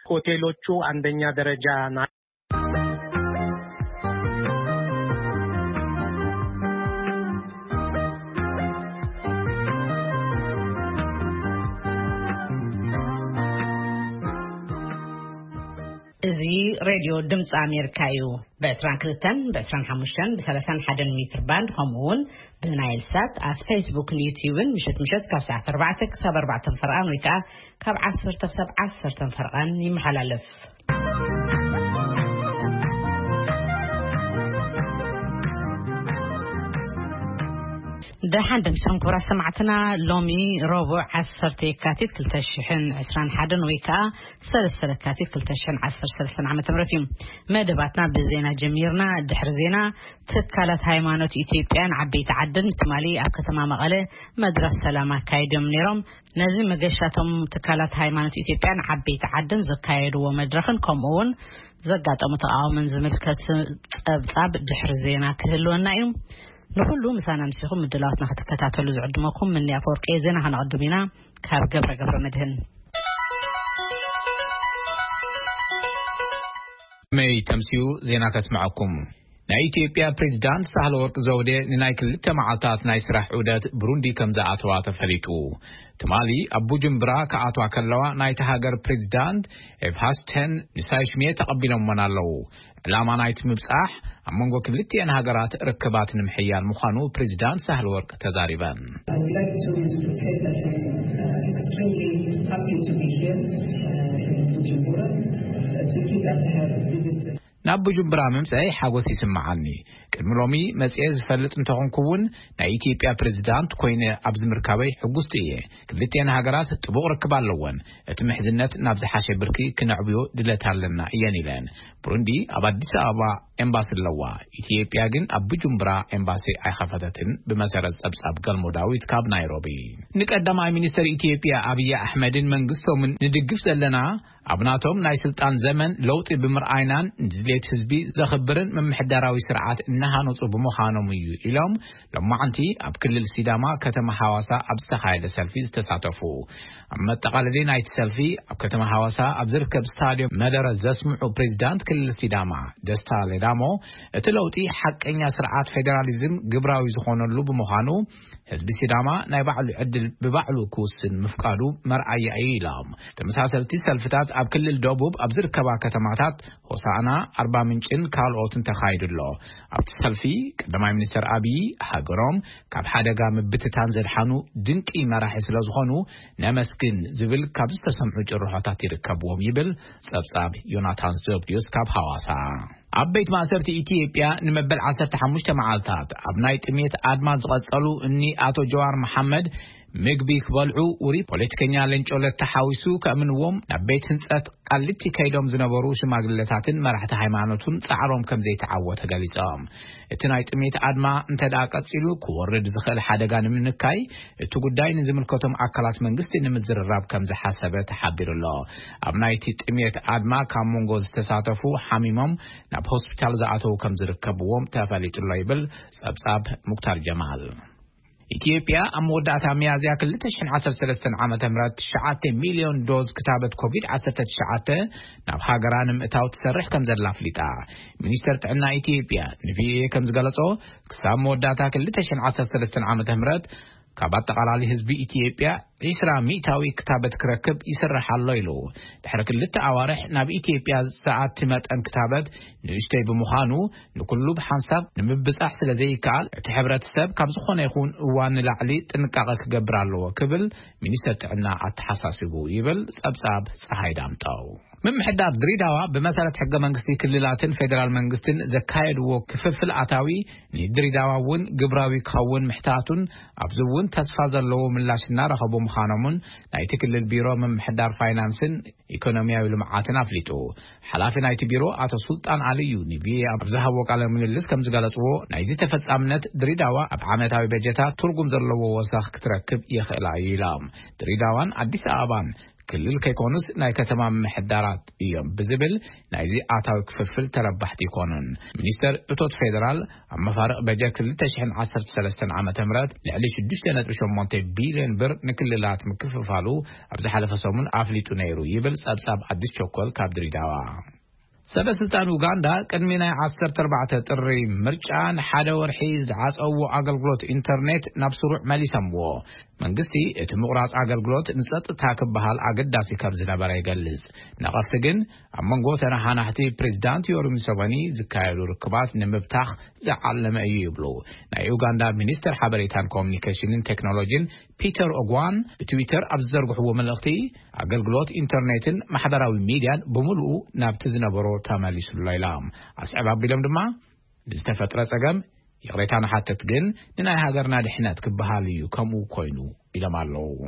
ሆቴሎቹ አንደኛ ደረጃ ና- እዚ ሬድዮ ድምፂ ኣሜሪካ እዩ። ብ22፣ ብ25፣ ብ31 ሜትር ባንድ፣ ከምኡ እውን ብናይል ሳት ኣብ ፌስቡክን ዩቲዩብን ምሸት ምሸት ካብ ሰዓት ኣርባዕተ ክሳብ ኣርባዕተ ፈርቓን፣ ወይ ከዓ ካብ ዓሰርተ ክሳብ ዓሰርተ ፈርቓን ይመሓላለፍ። ደሓን ደምሰን ክቡራት ሰማዕትና፣ ሎሚ ረቡዕ ዓሰርተ የካቲት ክልተ ሽሕን ዕስራን ሓደን ወይ ከዓ ሰለስተ ለካቲት ክልተ ሽሕን ዓሰርተ ሰለስተን ዓመተ ምህረት እዩ። መደባትና ብዜና ጀሚርና። ድሕሪ ዜና፣ ትካላት ሃይማኖት ኢትዮጵያን ዓበይቲ ዓድን ትማሊ ኣብ ከተማ መቐለ መድረኽ ሰላም ኣካይዶም ነይሮም። ነዚ መገሻቶም ትካላት ሃይማኖት ኢትዮጵያን ዓበይቲ ዓድን ዘካየድዎ መድረኽን ከምኡ እውን ዘጋጠሙ ተቃውሞን ዝምልከት ጸብጻብ ድሕሪ ዜና ክህልወና እዩ። ንኹሉ ምሳና ምሲኹም ምድላዋትና ክትከታተሉ ዝዕድመኩም ምንያ ኣፈወርቂ። ዜና ከነቐድም ኢና ካብ ገብረ ገብረ መድህን። መይ ተምሲኡ ዜና ከስምዐኩም። ናይ ኢትዮጵያ ፕሬዝዳንት ሳህለ ወርቅ ዘውዴ ንናይ ክልተ መዓልታት ናይ ስራሕ ዑደት ብሩንዲ ከም ዝኣተዋ ተፈሊጡ። ትማሊ ኣብ ቡጁምብራ ክኣትዋ ከለዋ ናይቲ ሃገር ፕሬዝዳንት ኤፍሃስቴን ንሳይሽሜ ተቐቢሎምወን ኣለዉ። ዕላማ ናይቲ ምብጻሕ ኣብ መንጎ ክልቲኤን ሃገራት ርክባት ንምሕያል ምዃኑ ፕሬዝዳንት ሳህለ ወርቅ ተዛሪበን። I would like to, to say that I'm uh, extremely happy to be here uh, in Bujumbura, uh, thinking that I have visited ናብ ቡጁምብራ ምምፀይ ሓጎስ ይስምዓኒ። ቅድሚ ሎሚ መፅኤ ዝፈልጥ እንተኾንኩ እውን ናይ ኢትዮጵያ ፕሬዝዳንት ኮይነ ኣብዚ ምርካበይ ሕጉስቲ እየ። ክልቲኤን ሃገራት ጥቡቕ ርክብ ኣለወን። እቲ ምሕዝነት ናብ ዝሓሸ ብርኪ ክነዕብዮ ድለት ኣለና እየን ኢለን። ብሩንዲ ኣብ ኣዲስ ኣበባ ኤምባሲ ኣለዋ። ኢትዮጵያ ግን ኣብ ቡጁምብራ ኤምባሲ ኣይኸፈተትን። ብመሰረት ጸብጻብ ገልሞ ዳዊት ካብ ናይሮቢ። ንቀዳማይ ሚኒስትር ኢትዮጵያ ኣብይ ኣሕመድን መንግስቶምን ንድግፍ ዘለና ኣብ ናቶም ናይ ስልጣን ዘመን ለውጢ ብምርኣይናን ንድሌት ህዝቢ ዘኽብርን ምምሕዳራዊ ስርዓት እናሃነፁ ብምዃኖም እዩ ኢሎም ሎማዕንቲ ኣብ ክልል ሲዳማ ከተማ ሐዋሳ ኣብ ዝተኻየደ ሰልፊ ዝተሳተፉ። ኣብ መጠቓለሊ ናይቲ ሰልፊ ኣብ ከተማ ሐዋሳ ኣብ ዝርከብ ስታዲየም መደረ ዘስምዑ ፕሬዚዳንት ክልል ሲዳማ ደስታ ሌዳሞ እቲ ለውጢ ሓቀኛ ስርዓት ፌዴራሊዝም ግብራዊ ዝኾነሉ ብምዃኑ ህዝቢ ሲዳማ ናይ ባዕሉ ዕድል ብባዕሉ ክውስን ምፍቃዱ መርኣያ እዩ ኢሎም። ተመሳሰልቲ ሰልፍታት ኣብ ክልል ደቡብ ኣብ ዝርከባ ከተማታት ሆሳዕና፣ ኣርባ ምንጭን ካልኦትን ተኻይዱ ኣሎ። ኣብቲ ሰልፊ ቀዳማይ ሚኒስትር ኣብይ ሃገሮም ካብ ሓደጋ ምብትታን ዘድሓኑ ድንቂ መራሒ ስለ ዝኾኑ ነመስግን ዝብል ካብ ዝተሰምዑ ጭርሖታት ይርከብዎም ይብል ጸብጻብ ዮናታን ዘብድዮስ ካብ ሐዋሳ። ኣብ ቤት ማእሰርቲ ኢትዮጵያ ንመበል ዓሰርተ ሓሙሽተ መዓልታት ኣብ ናይ ጥሜት ኣድማ ዝቐጸሉ እኒ ኣቶ ጀዋር መሓመድ ምግቢ ክበልዑ ውሪ ፖለቲከኛ ሌንጮ ለታ ሓዊሱ ከእምንዎም ናብ ቤት ህንጸት ቃሊቲ ከይዶም ዝነበሩ ሽማግሌታትን መራሕቲ ሃይማኖቱን ጻዕሮም ከም ዘይተዓወተ ገሊጾም። እቲ ናይ ጥሜት ኣድማ እንተ ደኣ ቀጺሉ ክወርድ ዝኽእል ሓደጋ ንምንካይ እቲ ጉዳይ ንዝምልከቶም ኣካላት መንግስቲ ንምዝርራብ ከም ዝሓሰበ ተሓቢሩ ኣሎ። ኣብ ናይቲ ጥሜት ኣድማ ካብ መንጎ ዝተሳተፉ ሓሚሞም ናብ ሆስፒታል ዝኣተዉ ከም ዝርከብዎም ተፈሊጡ ኣሎ ይብል ጸብጻብ ሙክታር ጀማል። ኢትዮጵያ ኣብ መወዳእታ ሚያዝያ ክልተ ሽሕን ዓሰርተ ሰለስተን ዓመተ ምህረት ትሽዓተ ሚልዮን ዶዝ ክታበት ኮቪድ ዓሰርተ ትሽዓተ ናብ ሃገራ ንምእታው ትሰርሕ ከም ዘላ ኣፍሊጣ። ሚኒስተር ጥዕና ኢትዮጵያ ንቪኦኤ ከም ዝገለጾ፣ ክሳብ መወዳእታ ክልተ ሽሕን ዓሰርተ ሰለስተን ዓመተ ምህረት ካብ ኣጠቓላሊ ህዝቢ ኢትዮጵያ ዒስራ ሚእታዊ ክታበት ክረክብ ይስራሕ ኣሎ ኢሉ። ድሕሪ ክልተ ኣዋርሕ ናብ ኢትዮጵያ ዝኣቲ መጠን ክታበት ንእሽተይ ብምዃኑ፣ ንኩሉ ብሓንሳብ ንምብጻሕ ስለ ዘይከኣል፣ እቲ ሕብረተሰብ ካብ ዝኾነ ይኹን እዋን ንላዕሊ ጥንቃቐ ክገብር ኣለዎ ክብል ሚኒስተር ጥዕና ኣተሓሳሲቡ ይብል ጸብጻብ ጸሃይ ዳምጠው። ምምሕዳር ድሬዳዋ ብመሰረት ሕገ መንግስቲ ክልላትን ፌዴራል መንግስትን ዘካየድዎ ክፍፍል ኣታዊ ንድሬዳዋ እውን ግብራዊ ክኸውን ምሕታቱን ኣብዚ እውን ተስፋ ዘለዎ ምላሽ እናረኸቡ ምዃኖምን ናይቲ ክልል ቢሮ ምምሕዳር ፋይናንስን ኢኮኖሚያዊ ልምዓትን ኣፍሊጡ። ሓላፊ ናይቲ ቢሮ ኣቶ ሱልጣን ኣልዩ ንቪኦኤ ኣብ ዝሃብዎ ቃለ ምልልስ ከም ዝገለጽዎ ናይዚ ተፈጻምነት ድሬዳዋ ኣብ ዓመታዊ በጀታ ትርጉም ዘለዎ ወሰኽ ክትረክብ ይኽእላ እዩ ኢሎም። ድሬዳዋን ኣዲስ ኣበባን ክልል ከይኮኑስ ናይ ከተማ ምሕዳራት እዮም ብዝብል ናይዚ ኣታዊ ክፍፍል ተረባሕቲ ይኮኑን። ሚኒስተር እቶት ፌደራል ኣብ መፋርቕ በጀት ክልተ ሽሕን ዓሰርተ ሰለስተን ዓመተ ምህረት ልዕሊ ሽዱሽተ ነጥቢ ሸሞንተ ቢልዮን ብር ንክልላት ምክፍፋሉ ኣብ ዝሓለፈ ሰሙን ኣፍሊጡ ነይሩ ይብል ጸብጻብ ኣዲስ ቸኮል ካብ ድሪዳዋ። ሰበ ስልጣን ኡጋንዳ ቅድሚ ናይ ዓሰርተ ኣርባዕተ ጥሪ ምርጫ ንሓደ ወርሒ ዝዓጸዎ ኣገልግሎት ኢንተርኔት ናብ ስሩዕ መሊሰምዎ። መንግስቲ እቲ ምቑራጽ ኣገልግሎት ንጸጥታ ክበሃል ኣገዳሲ ከም ዝነበረ ይገልጽ። ነቐፍቲ ግን ኣብ መንጎ ተነሓናሕቲ ፕሬዚዳንት ዮሪ ሙሰቨኒ ዝካየዱ ርክባት ንምብታኽ ዝዓለመ እዩ ይብሉ። ናይ ኡጋንዳ ሚኒስተር ሓበሬታን ኮሙኒኬሽንን ቴክኖሎጂን ፒተር ኦጓን ብትዊተር ኣብ ዝዘርግሕዎ መልእኽቲ ኣገልግሎት ኢንተርኔትን ማሕበራዊ ሚድያን ብምሉኡ ናብቲ ዝነበሮ ተመሊሱሎ ኢሎም። ኣስዕብ ኣቢሎም ድማ ንዝተፈጥረ ጸገም ይቕሬታ ንሓተት፣ ግን ንናይ ሃገርና ድሕነት ክበሃል እዩ ከምኡ ኮይኑ ኢሎም ኣለዉ።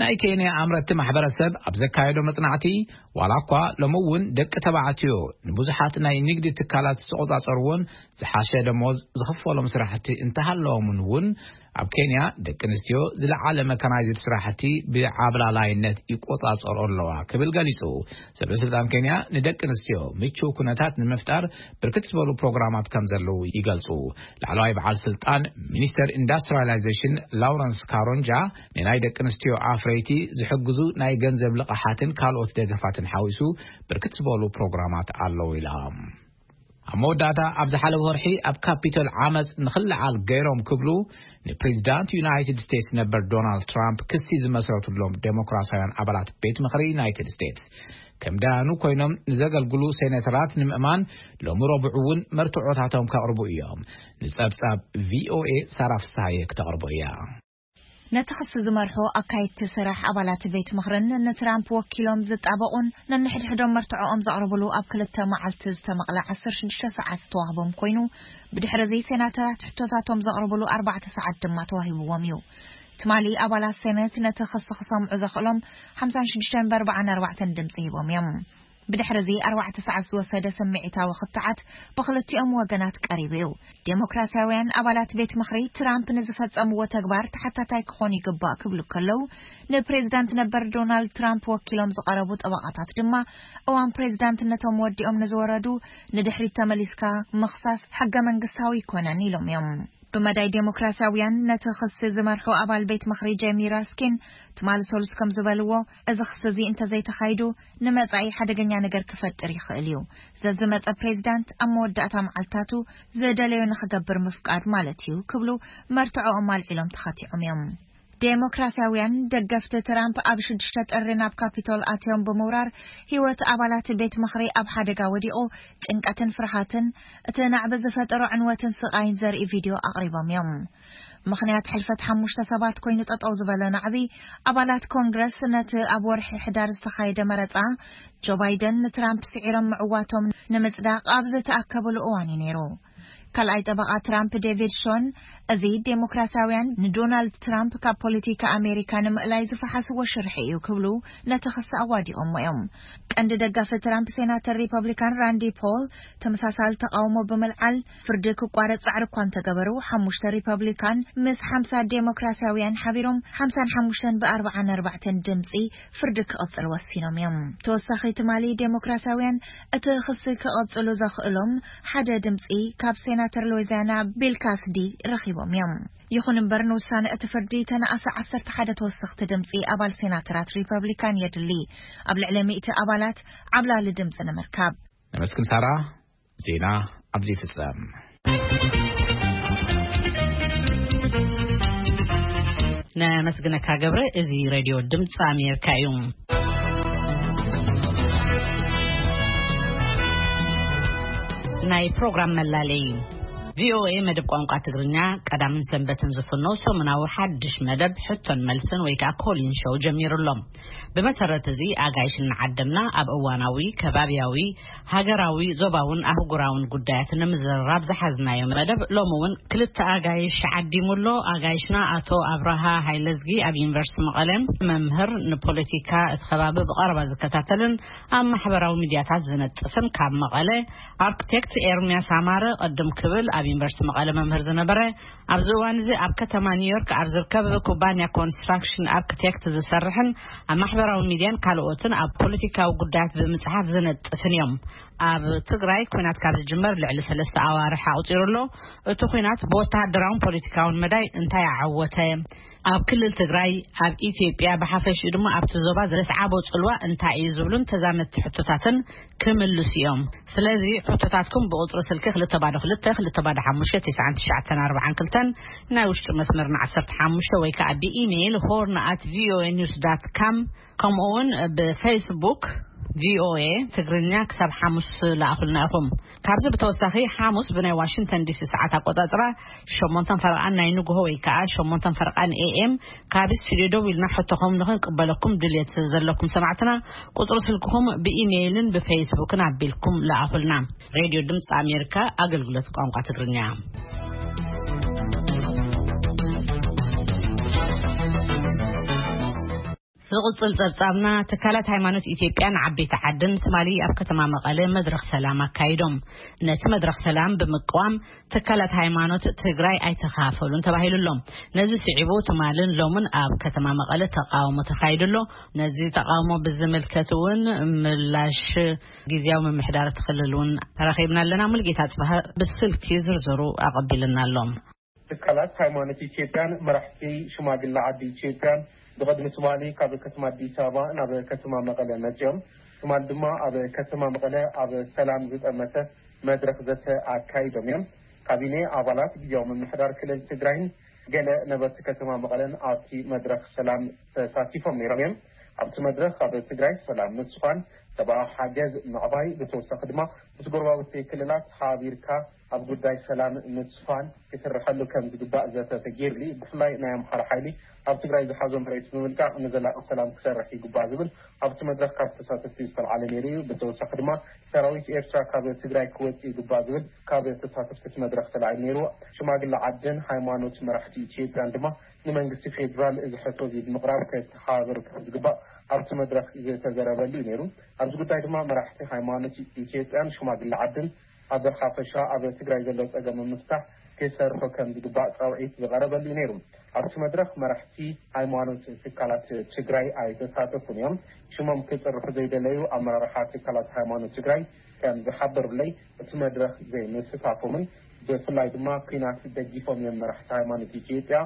ናይ ኬንያ ኣምረቲ ማሕበረሰብ ኣብ ዘካየዶ መጽናዕቲ ዋላ እኳ ሎሚ እውን ደቂ ተባዕትዮ ንብዙሓት ናይ ንግዲ ትካላት ዝቆጻጸርዎን ዝሓሸ ደሞዝ ዝኽፈሎም ስራሕቲ እንተሃለዎምን እውን ኣብ ኬንያ ደቂ ኣንስትዮ ዝለዓለ መካናይዝድ ስራሕቲ ብዓብላላይነት ይቆጻጸሮ ኣለዋ ክብል ገሊጹ። ሰበ ስልጣን ኬንያ ንደቂ ኣንስትዮ ምቹው ኩነታት ንምፍጣር ብርክት ዝበሉ ፕሮግራማት ከም ዘለዉ ይገልጹ። ላዕለዋይ በዓል ስልጣን ሚኒስተር ኢንዱስትሪያላይዜሽን ላውረንስ ካሮንጃ ንናይ ደቂ ኣንስትዮ ኣፍረይቲ ዝሕግዙ ናይ ገንዘብ ልቓሓትን ካልኦት ደገፋትን ሓዊሱ ብርክት ዝበሉ ፕሮግራማት ኣለዉ ኢላ። ኣብ መወዳእታ ኣብ ዝሓለፈ ወርሒ ኣብ ካፒቶል ዓመፅ ንኽለዓል ገይሮም ክብሉ ንፕሬዚዳንት ዩናይትድ ስቴትስ ነበር ዶናልድ ትራምፕ ክሲ ዝመስረቱሎም ዴሞክራሲያውያን ኣባላት ቤት ምኽሪ ዩናይትድ ስቴትስ ከም ዳያኑ ኮይኖም ንዘገልግሉ ሴኔተራት ንምእማን ሎሚ ረቡዕ እውን መርትዖታቶም ከቕርቡ እዮም። ንፀብፃብ ቪኦኤ ሳራ ፍስሃየ ክተቕርቦ እያ። ነቲ ክሲ ዝመርሑ ኣካየድቲ ስራሕ ኣባላት ቤት ምኽርን ንትራምፕ ወኪሎም ዝጣበቑን ነንሕድሕዶም መርትዖኦም ዘቕርብሉ ኣብ ክልተ መዓልቲ ዝተመቕለ ዓሰርተ ሽዱሽተ ሰዓት ዝተዋህቦም ኮይኑ፣ ብድሕሪ እዚ ሴናተራት ሕቶታቶም ዘቕርብሉ ኣርባዕተ ሰዓት ድማ ተዋሂብዎም እዩ። ትማሊ ኣባላት ሴኔት ነቲ ክሲ ክሰምዑ ዘኽእሎም ሓምሳን ሽዱሽተን ብኣርባዓን ኣርባዕተን ድምፂ ሂቦም እዮም። ብድሕሪ እዚ ኣርባዕተ ሰዓት ዝወሰደ ስምዒታዊ ክትዓት ብክልቲኦም ወገናት ቀሪቡ እዩ። ዴሞክራሲያውያን ኣባላት ቤት ምኽሪ ትራምፕ ንዝፈጸምዎ ተግባር ተሓታታይ ክኾኑ ይግባእ ክብሉ ከለዉ፣ ንፕሬዚዳንት ነበር ዶናልድ ትራምፕ ወኪሎም ዝቐረቡ ጠበቓታት ድማ እዋን ፕሬዚዳንትነቶም ወዲኦም ንዝወረዱ ንድሕሪት ተመሊስካ ምኽሳስ ሕገ መንግስታዊ ኣይኮነን ኢሎም እዮም። ብመዳይ ዴሞክራሲያውያን ነቲ ክሲ ዝመርሑ ኣባል ቤት ምኽሪ ጄሚ ራስኪን ትማሊ ሰሉስ ከም ዝበልዎ፣ እዚ ክሲ እዚ እንተዘይተኻይዱ ንመጻኢ ሓደገኛ ነገር ክፈጥር ይኽእል እዩ። ዘዝመጸ ፕሬዚዳንት ኣብ መወዳእታ መዓልታቱ ዝደለዮ ንኽገብር ምፍቃድ ማለት እዩ ክብሉ መርትዖኦም ኣልዒሎም ተኻቲዖም እዮም። ዴሞክራሲያውያን ደገፍቲ ትራምፕ ኣብ ሽዱሽተ ጥሪ ናብ ካፒቶል ኣትዮም ብምውራር ህይወት ኣባላት ቤት ምኽሪ ኣብ ሓደጋ ወዲቑ ጭንቀትን ፍርሃትን እቲ ናዕቢ ዝፈጠሮ ዕንወትን ስቓይን ዘርኢ ቪድዮ ኣቕሪቦም እዮም። ምኽንያት ሕልፈት ሓሙሽተ ሰባት ኮይኑ ጠጠው ዝበለ ናዕቢ ኣባላት ኮንግረስ ነቲ ኣብ ወርሒ ሕዳር ዝተኻየደ መረጻ ጆ ባይደን ንትራምፕ ስዒሮም ምዕዋቶም ንምጽዳቕ ኣብ ዝተኣከብሉ እዋን እዩ ነይሩ። ካልኣይ ጠበቓ ትራምፕ ዴቪድ ሾን፣ እዚ ዴሞክራሲያውያን ንዶናልድ ትራምፕ ካብ ፖለቲካ ኣሜሪካ ንምእላይ ዝፈሓስዎ ሽርሒ እዩ ክብሉ ነቲ ክሲ ኣዋዲቖሞ እዮም። ቀንዲ ደጋፊ ትራምፕ ሴናተር ሪፐብሊካን ራንዲ ፖል ተመሳሳሊ ተቃውሞ ብምልዓል ፍርዲ ክቋረጽ ጻዕሪ እኳ እንተገበሩ፣ ሓሙሽተ ሪፐብሊካን ምስ ሓምሳ ዴሞክራሲያውያን ሓቢሮም ሓምሳን ሓሙሽተን ብኣርባዓን ኣርባዕተን ድምጺ ፍርዲ ክቕጽል ወሲኖም እዮም። ተወሳኺ ትማሊ ዴሞክራሲያውያን እቲ ክሲ ክቕጽሉ ዘኽእሎም ሓደ ድምጺ ካብ ሴናተር ሉዊዚያና ቢል ካስዲ ረኺቦም እዮም። ይኹን እምበር ንውሳነ እቲ ፍርዲ ተነኣሰ ዓሰርተ ሓደ ተወሰኽቲ ድምጺ ኣባል ሴናተራት ሪፐብሊካን የድሊ ኣብ ልዕሊ ሚእቲ ኣባላት ዓብላሊ ድምጺ ንምርካብ። ነመስግን ሳራ። ዜና ኣብዚ ይፍጸም። ነመስግነካ ገብረ። እዚ ሬድዮ ድምፂ ኣሜሪካ እዩ። ናይ ፕሮግራም መላለይ ቪኦኤ መደብ ቋንቋ ትግርኛ ቀዳምን ሰንበትን ዝፍኖ ሰሙናዊ ሓድሽ መደብ ሕቶን መልስን ወይ ከዓ ኮሊን ሾው ጀሚሩ ኣሎ። ብመሰረት እዚ ኣጋይሽ እናዓደምና ኣብ እዋናዊ፣ ከባብያዊ፣ ሃገራዊ፣ ዞባውን ኣህጉራውን ጉዳያት ንምዝርራብ ዝሓዝናዮ መደብ ሎሚ እውን ክልተ ኣጋይሽ ዓዲሙ ኣሎ። ኣጋይሽና ኣቶ ኣብርሃ ሃይለዝጊ ኣብ ዩኒቨርሲቲ መቐለ መምህር፣ ንፖለቲካ እቲ ከባቢ ብቐረባ ዝከታተልን ኣብ ማሕበራዊ ሚድያታት ዝነጥፍን፣ ካብ መቐለ ኣርክቴክት ኤርሚያስ ኣማረ ቅድም ክብል ኣብ ዩኒቨርሲቲ መቐለ መምህር ዝነበረ፣ ኣብዚ እዋን እዚ ኣብ ከተማ ኒውዮርክ ኣብ ዝርከብ ኩባንያ ኮንስትራክሽን ኣርክቴክት ዝሰርሕን ኣብ ማሕበራዊ ሚድያን ካልኦትን ኣብ ፖለቲካዊ ጉዳያት ብምጽሓፍ ዝነጥፍን እዮም። ኣብ ትግራይ ኲናት ካብ ዝጅመር ልዕሊ ሰለስተ ኣዋርሕ ኣቑጺሩ ኣሎ። እቲ ኲናት ብወተሃደራውን ፖለቲካውን መዳይ እንታይ ኣዓወተ? ኣብ ክልል ትግራይ፣ ኣብ ኢትዮጵያ ብሓፈሽኡ ድማ ኣብቲ ዞባ ዘስዓቦ ጽልዋ እንታይ እዩ ዝብሉን ተዛመድቲ ሕቶታትን ክምልሱ እዮም። ስለዚ ሕቶታትኩም ብቁጽሪ ስልኪ ክልተ ባዶ ክልተ ክልተ ባዶ ሓሙሽተ ትሽዓን ትሽዓተን ኣርባዓን ክልተን፣ ናይ ውሽጢ መስመርና ዓሰርተ ሓሙሽተ ወይ ከዓ ብኢሜይል ሆርን ኣት ቪኦኤ ኒውስ ዳት ካም፣ ከምኡ እውን ብፌስቡክ ቪኦኤ ትግርኛ ክሳብ ሓሙስ ለኣኹልና ኢኹም። ካብዚ ብተወሳኺ ሓሙስ ብናይ ዋሽንግተን ዲሲ ሰዓት ኣቆጻጽራ ሸሞንተን ፈረቓን ናይ ንግሆ ወይ ከዓ ሸሞንተን ፈረቓን ኤኤም ካብ ስቱዲዮ ደው ኢልና ሕቶኹም ንኽንቅበለኩም ድልየት ዘለኩም ሰማዕትና ቁጽሪ ስልክኹም ብኢሜይልን ብፌስቡክን ኣቢልኩም ለኣኹልና። ሬድዮ ድምፂ ኣሜሪካ ኣገልግሎት ቋንቋ ትግርኛ። ዝቕጽል ጸብጻብና፣ ትካላት ሃይማኖት ኢትዮጵያን ዓበይቲ ዓድን ትማሊ ኣብ ከተማ መቐለ መድረኽ ሰላም ኣካይዶም። ነቲ መድረኽ ሰላም ብምቅዋም ትካላት ሃይማኖት ትግራይ ኣይተኻፈሉን ተባሂሉ ኣሎ። ነዚ ስዒቡ ትማልን ሎምን ኣብ ከተማ መቐለ ተቃውሞ ተኻይዱ ኣሎ። ነዚ ተቃውሞ ብዝምልከት እውን ምላሽ ግዝያዊ ምምሕዳር እቲ ክልል እውን ተረኺብና ኣለና። ሙልጌታ ጽባህ ብስልኪ ዝርዝሩ ኣቐቢልና ኣሎ። ትካላት ሃይማኖት ኢትዮጵያን መራሕቲ ሽማግለ ዓዲ ኢትዮጵያን ብቕድሚ ትማሊ ካብ ከተማ ኣዲስ ኣበባ ናብ ከተማ መቐለ መጺኦም፣ ትማል ድማ ኣብ ከተማ መቐለ ኣብ ሰላም ዝጠመተ መድረኽ ዘተ ኣካይዶም እዮም። ካቢኔ፣ ኣባላት ግዝያዊ ምምሕዳር ክልል ትግራይን ገለ ነበርቲ ከተማ መቐለን ኣብቲ መድረኽ ሰላም ተሳቲፎም ነይሮም እዮም። ኣብቲ መድረኽ ኣብ ትግራይ ሰላም ምስፋን፣ ሰብኣዊ ሓገዝ ምዕባይ፣ ብተወሳኺ ድማ ምስ ጎረባብቲ ክልላት ሓቢርካ ኣብ ጉዳይ ሰላም ምስፋን ክስርሐሉ ከም ዝግባእ ዘተ ተገይሩሉ። ብፍላይ ናይ ኣምሓራ ሓይሊ ኣብ ትግራይ ዝሓዞ መሬት ብምልቃቕ ንዘላቂ ሰላም ክሰርሕ ይግባእ ዝብል ኣብቲ መድረኽ ካብ ተሳተፍቲ ዝተልዓለ ነይሩ እዩ። ብተወሳኺ ድማ ሰራዊት ኤርትራ ካብ ትግራይ ክወጽእ ይግባእ ዝብል ካብ ተሳተፍቲ እቲ መድረኽ ተላዒሉ ነይሩ። ሽማግለ ዓድን ሃይማኖት መራሕቲ ኢትዮጵያን ድማ ንመንግስቲ ፌዴራል እዚ ሕቶ እዚ ብምቕራብ ከተሓባብር ከም ዝግባእ ኣብቲ መድረኽ ዝተዘረበሉ እዩ ነይሩ። ኣብዚ ጉዳይ ድማ መራሕቲ ሃይማኖት ኢትዮጵያን ሽማግለ ዓድን ኣብ ሓፈሻ ኣብ ትግራይ ዘሎ ጸገም ንምፍታሕ ክሰርሑ ከም ዝግባእ ጻውዒት ዝቐረበሉ እዩ ነይሩ። ኣብቲ መድረኽ መራሕቲ ሃይማኖት ትካላት ትግራይ ኣይተሳተፉን እዮም። ሽሞም ክጽርሑ ዘይደለዩ ኣመራርሓ ትካላት ሃይማኖት ትግራይ ከም ዝሓበሩለይ፣ እቲ መድረኽ ዘይምስታፎምን ብፍላይ ድማ ኲናት ደጊፎም እዮም መራሕቲ ሃይማኖት ኢትዮጵያ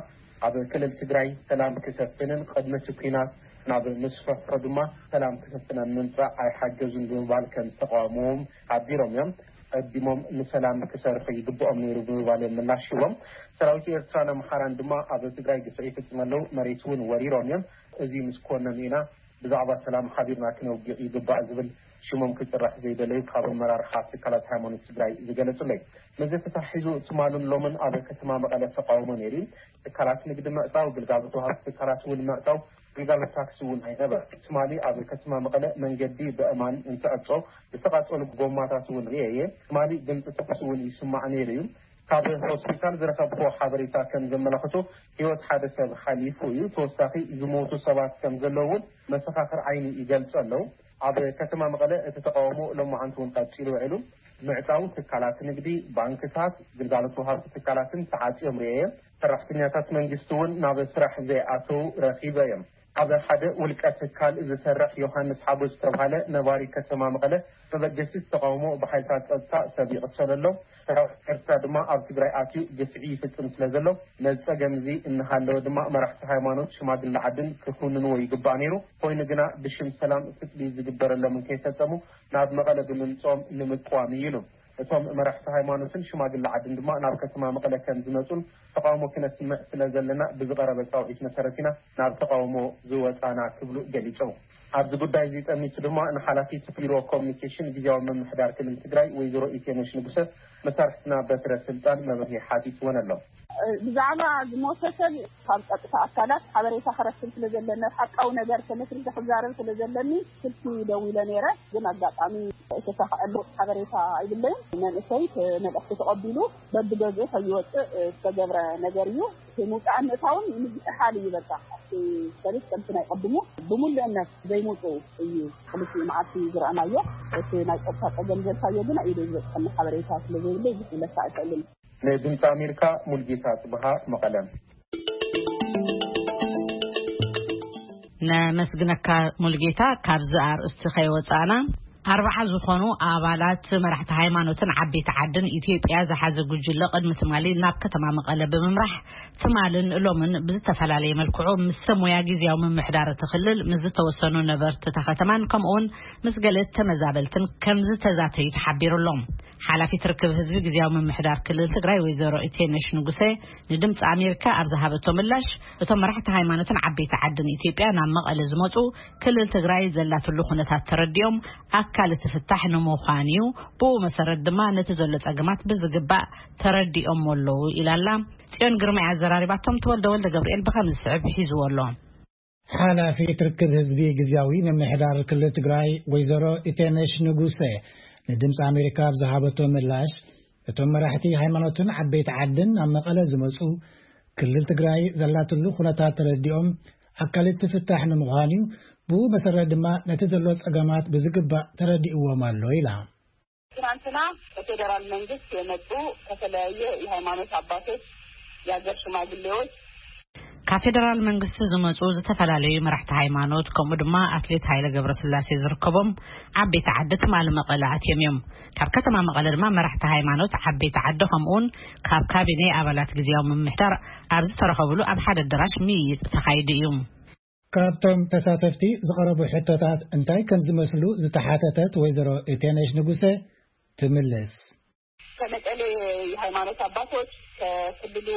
ኣብ ክልል ትግራይ ሰላም ክሰፍንን ቅድሚ እቲ ኲናት ናብ ምስፍሕሑ ድማ ሰላም ክሰፍን ኣብ ምምጻእ ኣይሓገዙን ብምባል ከም ዝተቃወምዎም ሓቢሮም እዮም። ቀዲሞም ንሰላም ክሰርሑ ይግብኦም ነይሩ ብምባል እዮም ምላሽ ሂቦም። ሰራዊት ኤርትራን ኣምሓራን ድማ ኣብ ትግራይ ግፍዒ ይፍጽሙ ኣለዉ፣ መሬት እውን ወሪሮም እዮም። እዚ ምስ ኮነኑ ኢና ብዛዕባ ሰላም ሓቢርና ክነውግዕ ይግባእ ዝብል ሽሞም ክጽራሕ ዘይደለዩ ካብ ኣመራርሓ ትካላት ሃይማኖት ትግራይ ዝገለጹለይ። ነዚ ተታሒዙ ትማልን ሎምን ኣብ ከተማ መቐለ ተቃውሞ ነይሩ እዩ። ትካላት ንግዲ ምዕጻው፣ ግልጋሎት ወሃብቲ ትካላት እውን ምዕጻው፣ ግልጋሎት ታክሲ እውን ኣይነበረ። ትማሊ ኣብ ከተማ መቐለ መንገዲ ብእማን እንትዕጾ ዝተቃጸሉ ጎማታት እውን ርእየ እየ። ትማሊ ድምፂ ተኩሲ እውን ይስማዕ ነይሩ እዩ። ካብ ሆስፒታል ዝረኸብኩዎ ሓበሬታ ከም ዘመላኽቶ ህይወት ሓደ ሰብ ሓሊፉ እዩ። ተወሳኺ ዝሞቱ ሰባት ከም ዘለዉ እውን መሰኻኽር ዓይኒ ይገልጹ ኣለዉ። ኣብ ከተማ መቐለ እቲ ተቃውሞ ሎማዓንቲ እውን ቀጺሉ ውዒሉ። ምዕጻው ትካላት ንግዲ፣ ባንክታት፣ ግልጋሎት ወሃብቲ ትካላትን ተዓጽዮም ርእየ። ሰራሕተኛታት መንግስቲ እውን ናብ ስራሕ ዘይኣተዉ ረኺበ እዮም። ኣብ ሓደ ውልቀ ትካል ዝሰርሕ ዮሃንስ ሓጎስ ዝተባሃለ ነባሪ ከተማ መቐለ፣ መበገሲ ተቃውሞ ብሓይልታት ጸጥታ ሰብ ይቕተል ኣሎ፣ ሰራዊት ኤርትራ ድማ ኣብ ትግራይ ኣትዩ ግፍዒ ይፍጽም ስለ ዘሎ፣ ነዚ ጸገም እዚ እናሃለወ ድማ መራሕቲ ሃይማኖት፣ ሽማግለ ዓድን ክኹንንዎ ይግባእ ነይሩ። ኮይኑ ግና ብሽም ሰላም ፍትሊ ዝግበረሎም እንከይፈጸሙ ናብ መቐለ ብምምጽኦም ንምቅዋም እዩ ኢሉ። እቶም መራሕቲ ሃይማኖትን ሽማግለ ዓድን ድማ ናብ ከተማ መቐለ ከም ዝመጹን ተቃውሞ ክነስምዕ ስለ ዘለና ብዝቐረበ ጻውዒት መሰረት ኢና ናብ ተቃውሞ ዝወጻና ክብሉ ገሊጾም። ኣብዚ ጉዳይ እዚ ጠሚቱ ድማ ንሓላፊት ቢሮ ኮሚኒኬሽን ግዝያዊ ምምሕዳር ክልል ትግራይ ወይዘሮ ኢቴነሽ ንጉሰ መሳርሕትና በትረ ስልጣን መብርሂ ሓቲትወን ኣሎ። ብዛዕባ ዝሞተ ሰብ ካብ ጸጥታ ኣካላት ሓበሬታ ክረክብ ስለ ዘለኒ፣ ሓቃዊ ነገር ተመስሪተ ክዛረብ ስለ ዘለኒ ስልኪ ደዊለ ነይረ። ግን ኣጋጣሚ ዝተሳኽዐሉ ሓበሬታ ኣይብለይን። መንእሰይ እቲ መልእኽቲ ተቐቢሉ በብገዝኡ ከይወፅእ ዝተገብረ ነገር እዩ። እቲ ምውፃእን ምእታውን ምዝሕሓል እዩ። በቃ ኣብቲ ሰልፍ ከምቲ ናይ ቀድሙ ብምሉእነት ዘይምውፅኡ እዩ። ክልቲኡ መዓልቲ ዝረኣናዮ። እቲ ናይ ጸጥታ ጸገም ዘልካዮ ግን ኢደ ዝበፅሐኒ ሓበሬታ ስለ ዘይብለይ ብዙሕ ክብለካ ኣይክእልን። ንድምፂ ኣሜሪካ ሙልጌታ ጽብሃ፣ መቐለ። ነመስግነካ ሙልጌታ። ካብዚ ኣርእስቲ ከይወጻእና፣ ኣርባዓ ዝኾኑ ኣባላት መራሕቲ ሃይማኖትን ዓበይቲ ዓድን ኢትዮጵያ ዝሓዘ ጉጅለ ቅድሚ ትማሊ ናብ ከተማ መቐለ ብምምራሕ፣ ትማልን ሎምን ብዝተፈላለየ መልክዑ ምስ ሰብ ሞያ ግዝያዊ ምምሕዳር እቲ ክልል፣ ምስ ዝተወሰኑ ነበርቲ እታ ከተማን ከምኡውን ምስ ገለ ተመዛበልትን ከም ዝተዛተዩ ተሓቢሩ ኣሎ። ሓላፊት ርክብ ህዝቢ ግዝያዊ ምምሕዳር ክልል ትግራይ ወይዘሮ ኢቴነሽ ንጉሴ ንድምፂ ኣሜሪካ ኣብ ዝሃበቶ ምላሽ፣ እቶም መራሕቲ ሃይማኖትን ዓበይቲ ዓድን ኢትዮጵያ ናብ መቐለ ዝመፁ፣ ክልል ትግራይ ዘላትሉ ኩነታት ተረዲኦም ኣካል እቲ ፍታሕ ንምዃን እዩ። ብኡ መሰረት ድማ ነቲ ዘሎ ጸገማት ብዝግባእ ተረዲኦም ኣለዉ ኢላላ። ጽዮን ግርማይ ኣዘራሪባቶም። ተወልደ ወልደ ገብርኤል ብኸም ዝስዕብ ሒዝዎ ኣሎ። ሓላፊት ርክብ ህዝቢ ግዝያዊ ምምሕዳር ክልል ትግራይ ወይዘሮ ኢቴነሽ ንጉሰ ንድምፂ ኣሜሪካ ኣብ ዝሃበቶ ምላሽ፣ እቶም መራሕቲ ሃይማኖትን ዓበይቲ ዓድን ናብ መቐለ ዝመፁ፣ ክልል ትግራይ ዘላትሉ ኩነታት ተረዲኦም ኣካል እቲ ፍታሕ ንምዃን እዩ። ብኡ መሰረት ድማ ነቲ ዘሎ ጸገማት ብዝግባእ ተረዲእዎም ኣሎ ኢላ። ትናንትና ከፌዴራል መንግስት የመጡ ከተለያየ የሃይማኖት አባቶች፣ የሀገር ሽማግሌዎች፣ ካብ ፌደራል መንግስቲ ዝመፁ ዝተፈላለዩ መራሕቲ ሃይማኖት፣ ከምኡ ድማ ኣትሌት ሃይለ ገብረስላሴ ዝርከቦም ዓበይቲ ዓዲ ትማሊ መቐለ ኣትዮም እዮም። ካብ ከተማ መቐለ ድማ መራሕቲ ሃይማኖት፣ ዓበይቲ ዓዲ፣ ከምኡውን ካብ ካቢኔ ኣባላት ግዝያዊ ምምሕዳር ኣብ ዝተረኸብሉ ኣብ ሓደ ኣዳራሽ ምይይጥ ተኻይዱ እዩ። ካብቶም ተሳተፍቲ ዝቐረቡ ሕቶታት እንታይ ከም ዝመስሉ ዝተሓተተት ወይዘሮ ኢቴነሽ ንጉሰ ትምልስ። ከመቀሌ የሃይማኖት አባቶች፣ ከክልሉ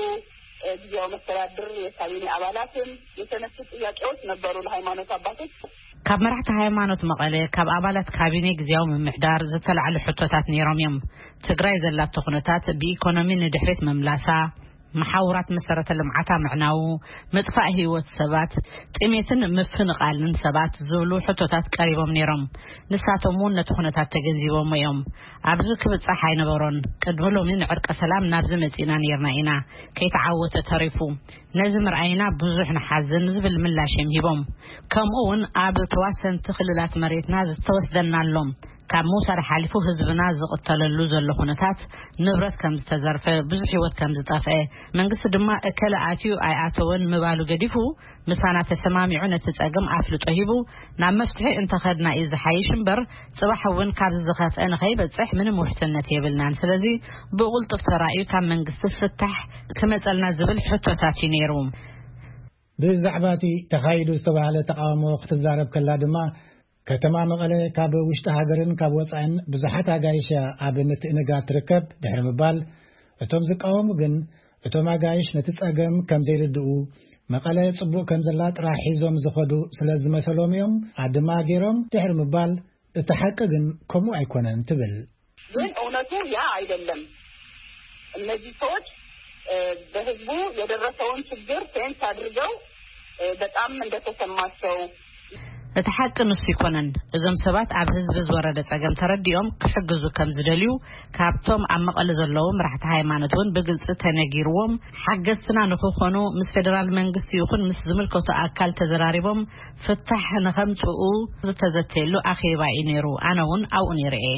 ጊዜያዊ መስተዳድር የካቢኔ አባላትም የተነሱ ጥያቄዎች ነበሩ። ለሃይማኖት አባቶች፣ ካብ መራሕቲ ሃይማኖት መቐለ፣ ካብ ኣባላት ካቢኔ ግዝያዊ ምምሕዳር ዝተላዕሉ ሕቶታት ነይሮም እዮም። ትግራይ ዘላቶ ኩነታት ብኢኮኖሚ ንድሕሪት ምምላሳ፣ መሓውራት መሰረተ ልምዓታ ምዕናዉ፣ ምጥፋእ ህይወት ሰባት፣ ጥሜትን ምፍንቓልን ሰባት ዝብሉ ሕቶታት ቀሪቦም ነይሮም። ንሳቶም እውን ነቲ ኩነታት ተገንዚቦም እዮም። ኣብዚ ክብጻሕ ኣይነበሮን። ቅድሚ ሎሚ ንዕርቀ ሰላም ናብዚ መጺእና ነይርና ኢና። ከይተዓወተ ተሪፉ። ነዚ ምርኣይና ብዙሕ ንሓዝን ዝብል ምላሽ እዮም ሂቦም። ከምኡ እውን ኣብ ተዋሰንቲ ክልላት መሬትና ዝተወስደና ኣሎ። ካብ ምውሳድ ሓሊፉ ህዝብና ዝቕተለሉ ዘሎ ኩነታት፣ ንብረት ከም ዝተዘርፈ፣ ብዙሕ ህይወት ከም ዝጠፍአ፣ መንግስቲ ድማ እከለ ኣትዩ ኣይኣተወን ምባሉ ገዲፉ፣ ምሳና ተሰማሚዑ ነቲ ጸገም ኣፍልጦ ሂቡ ናብ መፍትሒ እንተኸድና እዩ ዝሓይሽ እምበር፣ ጽባሕ እውን ካብዚ ዝኸፍአ ንኸይበጽሕ ምንም ውሕስነት የብልናን። ስለዚ ብቕልጡፍ ተራእዩ ካብ መንግስቲ ፍታሕ ክመጸልና ዝብል ሕቶታት እዩ ነይሩ። ብዛዕባ እቲ ተኻይዱ ዝተባህለ ተቃውሞ ክትዛረብ ከላ ድማ፣ ከተማ መቐለ ካብ ውሽጢ ሃገርን ካብ ወጻእን ብዙሓት ኣጋይሽ እያ ኣብ ምትእንጋድ ትርከብ ድሕሪ ምባል፣ እቶም ዝቃወሙ ግን እቶም ኣጋይሽ ነቲ ጸገም ከም ዘይርድኡ፣ መቐለ ጽቡቕ ከም ዘላ ጥራሕ ሒዞም ዝኸዱ ስለ ዝመሰሎም እዮም ኣድማ ገይሮም ድሕሪ ምባል፣ እቲ ሓቂ ግን ከምኡ ኣይኮነን ትብል። ግን እውነቱ ያ አይደለም። እነዚህ ሰዎች በህዝቡ የደረሰውን ችግር ሴንስ አድርገው በጣም እንደተሰማቸው። እቲ ሓቂ ንሱ ይኮነን። እዞም ሰባት ኣብ ህዝቢ ዝወረደ ጸገም ተረዲኦም ክሕግዙ ከም ዝደልዩ፣ ካብቶም ኣብ መቐለ ዘለዉ መራሕቲ ሃይማኖት እውን ብግልጺ ተነጊርዎም፣ ሓገዝትና ንክኾኑ ምስ ፌደራል መንግስቲ ይኹን ምስ ዝምልከቱ ኣካል ተዘራሪቦም ፍታሕ ንኸምጽኡ ዝተዘተየሉ ኣኼባ እዩ ነይሩ። ኣነ እውን ኣብኡ ነይረ እየ።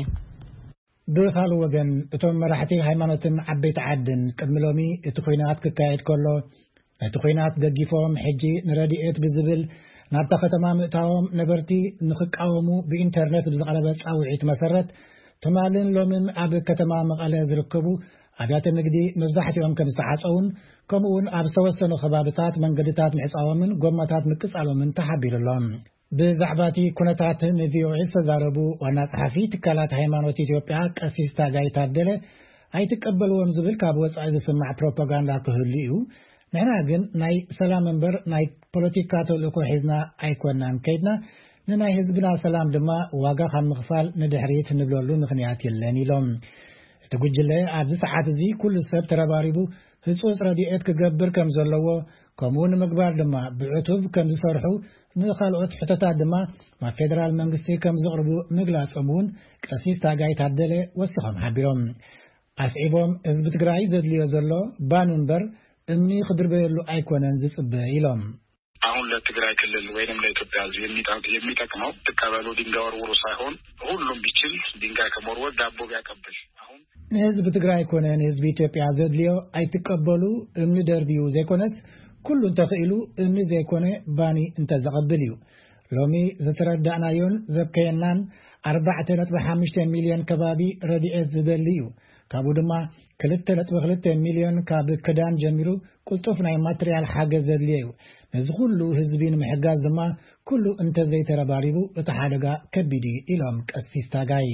ብኻልእ ወገን፣ እቶም መራሕቲ ሃይማኖትን ዓበይቲ ዓድን ቅድሚ ሎሚ እቲ ኲናት ክካየድ ከሎ፣ ነቲ ኲናት ደጊፎም፣ ሕጂ ንረድኤት ብዝብል ናብታ ከተማ ምእታዎም ነበርቲ ንኽቃወሙ ብኢንተርነት ብዝቐረበ ጻውዒት መሰረት፣ ትማልን ሎምን ኣብ ከተማ መቐለ ዝርከቡ ኣብያተ ንግዲ መብዛሕትኦም ከም ዝተዓጸዉን፣ ከምኡውን ኣብ ዝተወሰኑ ከባብታት መንገድታት ምዕጻዎምን ጎማታት ምቅጻሎምን ተሓቢሩ ኣሎ። ብዛዕባ እቲ ኩነታት ንቪኦኤ ዝተዛረቡ ዋና ጸሓፊ ትካላት ሃይማኖት ኢትዮጵያ ቀሲስ ታጋይ ታደለ፣ ኣይትቀበልዎም ዝብል ካብ ወጻኢ ዝስማዕ ፕሮፓጋንዳ ክህሉ እዩ። ንሕና ግን ናይ ሰላም እምበር ናይ ፖለቲካ ተልእኮ ሒዝና ኣይኮናን ከይድና፣ ንናይ ህዝብና ሰላም ድማ ዋጋ ካብ ምኽፋል ንድሕሪት ንብለሉ ምኽንያት የለን ኢሎም። እቲ ጉጅለ ኣብዚ ሰዓት እዚ ኩሉ ሰብ ተረባሪቡ ህጹጽ ረድኤት ክገብር ከም ዘለዎ፣ ከምኡ ንምግባር ድማ ብዕቱብ ከም ዝሰርሑ፣ ንኻልኦት ሕቶታት ድማ ናብ ፌደራል መንግስቲ ከም ዘቕርቡ ምግላጾም እውን ቀሲስ ታጋይ ታደለ ወሲኾም ሓቢሮም። ኣስዒቦም፣ ህዝቢ ትግራይ ዘድልዮ ዘሎ ባን እምበር እምኒ ክድርበየሉ ኣይኮነን ዝጽበ ኢሎም። አሁን ለትግራይ ክልል ወይንም ለኢትዮጵያ ህዝብ የሚጠ-፣ የሚጠቅመው ትቀበሉ ድንጋይ ወርውሩ ሳይሆን ሁሉም ቢችል ድንጋይ ከመወርወር ዳቦ ቢያቀብል። አሁን ንህዝቢ ትግራይ ኮነ ንህዝቢ ኢትዮጵያ ዘድልዮ ኣይትቀበሉ፣ እምኒ ደርብዩ ዘይኮነስ፣ ኩሉ እንተኽኢሉ እምኒ ዘይኮነ ባኒ እንተዘቐብል እዩ። ሎሚ ዝተረዳእናዮን ዘብከየናን ኣርባዕተ ነጥቢ ሓሙሽተ ሚልዮን ከባቢ ረድኤት ዝደሊ እዩ። ካብኡ ድማ ክልተ ነጥቢ ክልተ ሚልዮን ካብ ክዳን ጀሚሩ ቅልጡፍ ናይ ማትርያል ሓገዝ ዘድልዮ እዩ። ነዚ ኩሉ ህዝቢ ንምሕጋዝ ድማ ኩሉ እንተዘይተረባሪቡ እቲ ሓደጋ ከቢድ እዩ ኢሎም ቀሲስ ታጋይ።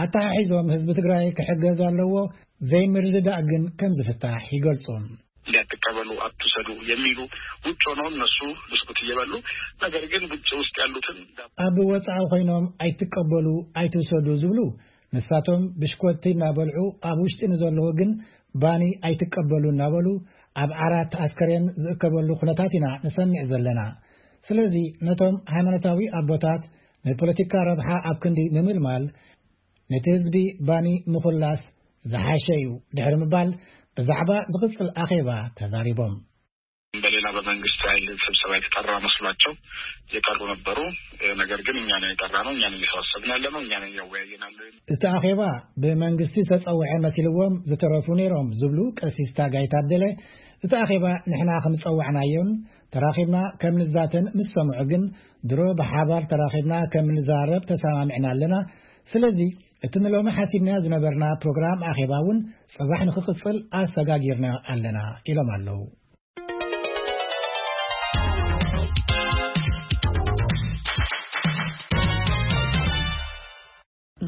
ኣተሓሒዞም ህዝቢ ትግራይ ክሕገዝ ኣለዎ፣ ዘይምርድዳእ ግን ከም ዝፍታሕ ይገልጹ። እንዲያትቀበሉ አትውሰዱ የሚሉ ውጭ ሆነው እነሱ ብስኩት እየበሉ፣ ነገር ግን ውጭ ውስጥ ያሉትን ኣብ ወጻኢ ኮይኖም ኣይትቀበሉ ኣይትውሰዱ ዝብሉ ንሳቶም ብሽኮቲ እናበልዑ ኣብ ውሽጢ ንዘለዉ ግን ባኒ ኣይትቀበሉ እናበሉ ኣብ ዓራት ኣስከሬን ዝእከበሉ ኩነታት ኢና ንሰምዕ ዘለና። ስለዚ ነቶም ሃይማኖታዊ ኣቦታት ንፖለቲካ ረብሓ ኣብ ክንዲ ምምልማል ነቲ ህዝቢ ባኒ ምኹላስ ዝሓሸ እዩ ድሕሪ ምባል ብዛዕባ ዝቕጽል ኣኼባ ተዛሪቦም። በሌላ በመንግስት ኃይል ስብሰባ የተጠራ መስሏቸው የቀሩ ነበሩ። ነገር ግን እኛ ነን የጠራ ነው፣ እኛ ነን እየሰበሰብን ያለ ነው፣ እኛ ነን እያወያየን ያለ። እቲ ኣኼባ ብመንግስቲ ዝተጸውዐ መሲልዎም ዝተረፉ ነይሮም ዝብሉ ቀሲስ ታጋይ ታደለ፣ እቲ ኣኼባ ንሕና ከም ዝጸዋዕናዮን ተራኺብና ከም ንዛተን ምስ ሰምዑ ግን ድሮ ብሓባር ተራኺብና ከም ንዛረብ ተሰማሚዕና ኣለና። ስለዚ እቲ ንሎሚ ሓሲብና ዝነበርና ፕሮግራም ኣኼባ እውን ጽባሕ ንክቕጽል ኣሰጋጊርና ኣለና ኢሎም ኣለዉ።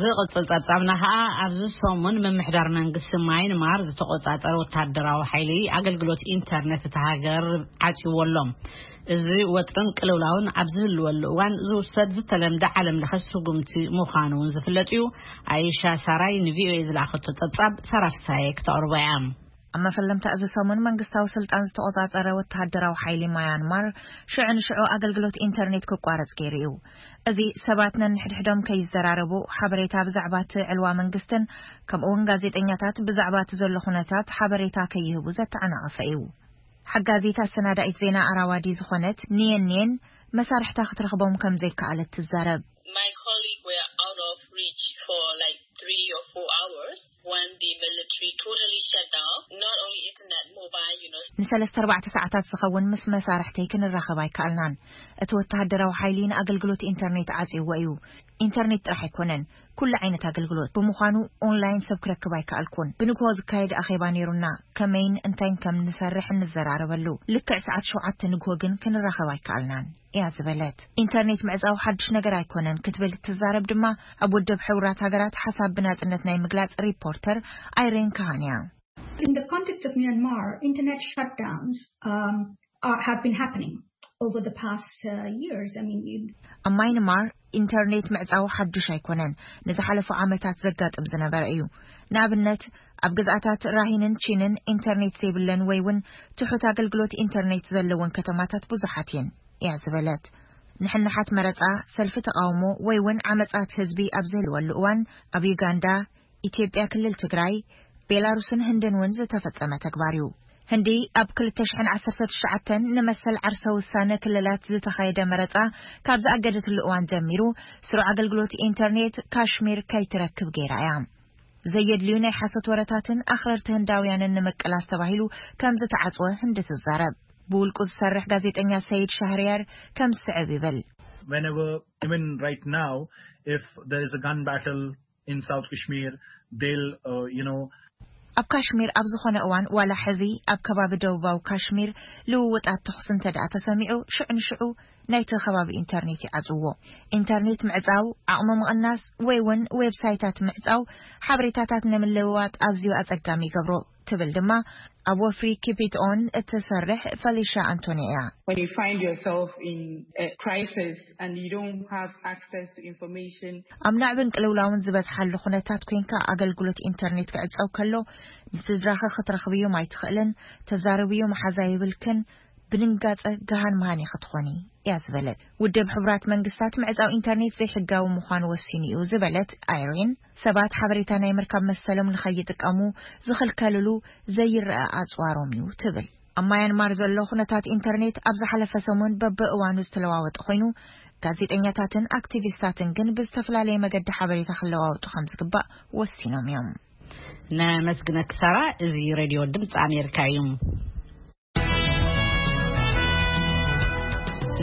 ዝቕጽል ጸብጻብና ኸኣ ኣብዚ ሰሙን ምምሕዳር መንግስቲ ማይንማር ዝተቖጻጸረ ወታደራዊ ሓይሊ ኣገልግሎት ኢንተርነት እታ ሃገር ዓጽይዎ ኣሎ። እዚ ወጥርን ቅልውላውን ኣብ ዝህልወሉ እዋን ዝውሰድ ዝተለምደ ዓለም ለኸ ስጉምቲ ምዃኑ እውን ዝፍለጥ እዩ። ኣይሻ ሳራይ ንቪኦኤ ዝለኣኸቶ ጸብጻብ ሳራ ፍሳየ ክተቕርቦ እያ። ኣብ መፈለምታ እዚ ሰሙን መንግስታዊ ስልጣን ዝተቖጻጸረ ወተሃደራዊ ሓይሊ ማያንማር ሽዑ ንሽዑ ኣገልግሎት ኢንተርኔት ክቋረጽ ገይሩ እዩ። እዚ ሰባት ነንሕድሕዶም ከይዘራረቡ፣ ሓበሬታ ብዛዕባ እቲ ዕልዋ መንግስትን ከምኡ እውን ጋዜጠኛታት ብዛዕባ እቲ ዘሎ ኩነታት ሓበሬታ ከይህቡ ዘተዓናቐፈ እዩ። ሓጋዚት ኣሰናዳኢት ዜና ኣራዋዲ ዝኾነት ኒየን ኒየን መሳርሕታ ክትረኽቦም ከም ዘይከኣለት ትዛረብ። My colleague were out of reach for like three or four hours when the military totally shut down, not only internet, mobile, you know. ንሰለስተ ኣርባዕተ ሰዓታት ዝኸውን ምስ መሳርሕተይ ክንራኸብ ኣይከኣልናን። እቲ ወተሃደራዊ ሓይሊ ንኣገልግሎት ኢንተርኔት ዓጽይዎ እዩ። ኢንተርኔት ጥራሕ ኣይኮነን፣ ኩሉ ዓይነት ኣገልግሎት። ብምዃኑ ኦንላይን ሰብ ክረክብ ኣይከኣልኩን። ብንግሆ ዝካየድ ኣኼባ ነይሩና፣ ከመይን እንታይን ከም ንሰርሕ እንዘራረበሉ። ልክዕ ሰዓት ሸውዓተ ንግሆ ግን ክንራኸብ ኣይከኣልናን እያ ዝበለት። ኢንተርኔት ምዕጻው ሓድሽ ነገር ኣይኮነን ክትብል ትዛረብ ድማ ኣብ ውድብ ሕቡራት ሃገራት ሓሳብ ብናጽነት ናይ ምግላጽ ሪፖርተር ኣይሬን ካሃን እያ። In the context of Myanmar, internet shutdowns um, are, have been happening over the past uh, years. I mean, you ኣብ ማይንማር ኢንተርኔት ምዕጻው ሓዱሽ ኣይኮነን። ንዝሓለፉ ዓመታት ዘጋጥም ዝነበረ እዩ። ንኣብነት ኣብ ግዝኣታት ራሂንን ቺንን ኢንተርኔት ዘይብለን ወይ እውን ትሑት ኣገልግሎት ኢንተርኔት ዘለወን ከተማታት ብዙሓት እየን እያ ዝበለት። ንሕንሓት መረጻ፣ ሰልፊ ተቓውሞ ወይ እውን ዓመጻት ህዝቢ ኣብ ዝህልወሉ እዋን ኣብ ዩጋንዳ፣ ኢትዮጵያ፣ ክልል ትግራይ፣ ቤላሩስን ህንድን እውን ዝተፈጸመ ተግባር እዩ። ህንዲ ኣብ ክልተ ሽሕን ዓሰርተ ትሽዓተን ንመሰል ዓርሰ ውሳነ ክልላት ዝተኻየደ መረጻ ካብ ዝኣገደትሉ እዋን ጀሚሩ ስሩዕ ኣገልግሎት ኢንተርኔት ካሽሚር ከይትረክብ ገይራ እያ። ዘየድልዩ ናይ ሓሶት ወረታትን ኣኽረርቲ ህንዳውያንን ንምቅላስ ተባሂሉ ከም ዝተዓጽወ ህንዲ ትዛረብ። ብውልቁ ዝሰርሕ ጋዜጠኛ ሰይድ ሻህርያር ከም ዝስዕብ ይብል። Whenever, even right now, if there is a gun battle in South Kashmir, they'll, uh, you know, ኣብ ካሽሚር ኣብ ዝኾነ እዋን ዋላ ሕዚ ኣብ ከባቢ ደቡባዊ ካሽሚር ልውውጣት ተኹሲ እንተ ደኣ ተሰሚዑ ሽዑ ንሽዑ ናይቲ ከባቢ ኢንተርኔት ይዓጽዎ። ኢንተርኔት ምዕጻው፣ ዓቕሚ ምቕናስ ወይ እውን ዌብሳይታት ምዕጻው ሓበሬታታት ንምልውዋጥ ኣዝዩ ኣጸጋሚ ይገብሮ ትብል ድማ ኣብ ወፍሪ ኪፕ ኢት ኦን እትሰርሕ ፈሊሻ ኣንቶኒ እያ። When you find yourself in a crisis and you don't have access to information, ኣብ ናዕብን ቅልውላውን ዝበዝሓሉ ኩነታት ኮይንካ ኣገልግሎት ኢንተርኔት ክዕጸው ከሎ ንስድራኺ ክትረኽብዮም ኣይትኽእልን፣ ተዛረብዮ መሓዛ የብልክን፣ ብድንጋጸ ገሃን መሃን ኢኺ ትኾኒ እያ ዝበለት። ውድብ ሕቡራት መንግስታት ምዕጻው ኢንተርኔት ዘይሕጋዊ ምዃኑ ወሲኑ እዩ ዝበለት ኣይሪን፣ ሰባት ሓበሬታ ናይ ምርካብ መሰሎም ንኸይጥቀሙ ዝኽልከልሉ ዘይረኣ ኣጽዋሮም እዩ ትብል። ኣብ ማያንማር ዘሎ ኩነታት ኢንተርኔት ኣብ ዝሓለፈ ሰሙን በብእዋኑ ዝተለዋወጠ ኮይኑ፣ ጋዜጠኛታትን ኣክቲቪስታትን ግን ብዝተፈላለየ መገዲ ሓበሬታ ክለዋወጡ ከም ዝግባእ ወሲኖም እዮም። ነመስግነኪ ሳራ። እዚ ሬድዮ ድምፂ ኣሜሪካ እዩ።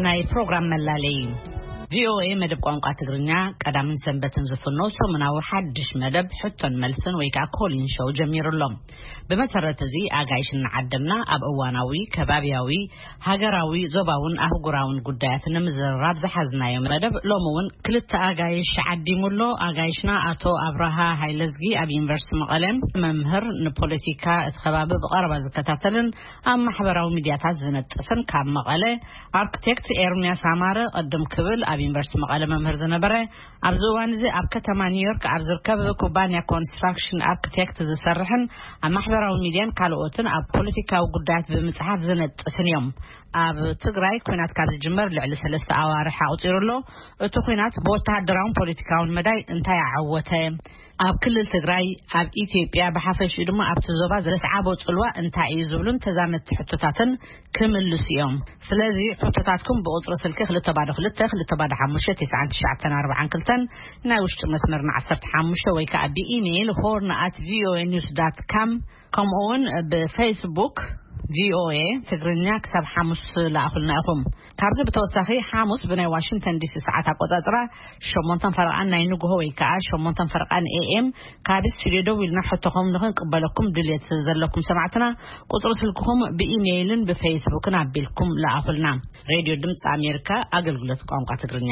ናይ ፕሮግራም መላለይ። ቪኦኤ መደብ ቋንቋ ትግርኛ ቀዳምን ሰንበትን ዝፍኖ ሰሙናዊ ሓድሽ መደብ ሕቶን መልስን ወይ ከዓ ኮሊን ሾው ጀሚሩ ኣሎ። ብመሰረት እዚ ኣጋይሽ እናዓደምና ኣብ እዋናዊ፣ ከባብያዊ፣ ሃገራዊ፣ ዞባውን ኣህጉራውን ጉዳያት ንምዝርራብ ዝሓዝናዮ መደብ ሎሚ እውን ክልተ ኣጋይሽ ዓዲሙ ኣሎ። ኣጋይሽና ኣቶ ኣብርሃ ሃይለዝጊ ኣብ ዩኒቨርሲቲ መቐለ መምህር፣ ንፖለቲካ እቲ ከባቢ ብቐረባ ዝከታተልን ኣብ ማሕበራዊ ሚድያታት ዝነጥፍን፣ ካብ መቐለ ኣርክቴክት ኤርሚያስ ኣማረ፣ ቅድም ክብል ኣብ ዩኒቨርሲቲ መቐለ መምህር ዝነበረ፣ ኣብዚ እዋን እዚ ኣብ ከተማ ኒውዮርክ ኣብ ዝርከብ ኩባንያ ኮንስትራክሽን ኣርክቴክት ዝሰርሕን ኣብ ማሕበራዊ ሚድያን ካልኦትን ኣብ ፖለቲካዊ ጉዳያት ብምጽሓፍ ዝነጥፍን እዮም። ኣብ ትግራይ ኲናት ካብ ዝጅመር ልዕሊ ሰለስተ ኣዋርሕ ኣቑጺሩ ኣሎ። እቲ ኲናት ብወተሃደራውን ፖለቲካውን መዳይ እንታይ ኣዓወተ? ኣብ ክልል ትግራይ፣ ኣብ ኢትዮጵያ ብሓፈሽኡ ድማ ኣብቲ ዞባ ዘስዓቦ ጽልዋ እንታይ እዩ ዝብሉን ተዛመድቲ ሕቶታትን ክምልሱ እዮም። ስለዚ ሕቶታትኩም ብቁጽሪ ስልኪ ክልተ ባዶ ክልተ፣ ክልተ ባዶ ሓሙሽተ፣ ትሽዓን ትሽዓተን ኣርባዓን ክልተን፣ ናይ ውሽጢ መስመርና ዓሰርተ ሓሙሽተ ወይ ከዓ ብኢሜይል ሆርን ኣት ቪኦኤ ኒውስ ዳት ካም፣ ከምኡ እውን ብፌስቡክ ቪኦኤ ትግርኛ ክሳብ ሓሙስ ለኣኹልና ኢኹም። ካብዚ ብተወሳኺ ሓሙስ ብናይ ዋሽንግተን ዲሲ ሰዓት ኣቆጻጽራ ሸሞንተን ፈረቓን ናይ ንግሆ ወይ ከዓ ሸሞንተን ፈረቓን ኤ ኤም ካብ ስቱዲዮ ደዊልና ሕቶኹም ንኽንቅበለኩም ድልየት ዘለኩም ሰማዕትና ቁጽሪ ስልክኹም ብኢሜይልን ብፌስቡክን ኣቢልኩም ለኣኹልና። ሬድዮ ድምፂ ኣሜሪካ ኣገልግሎት ቋንቋ ትግርኛ።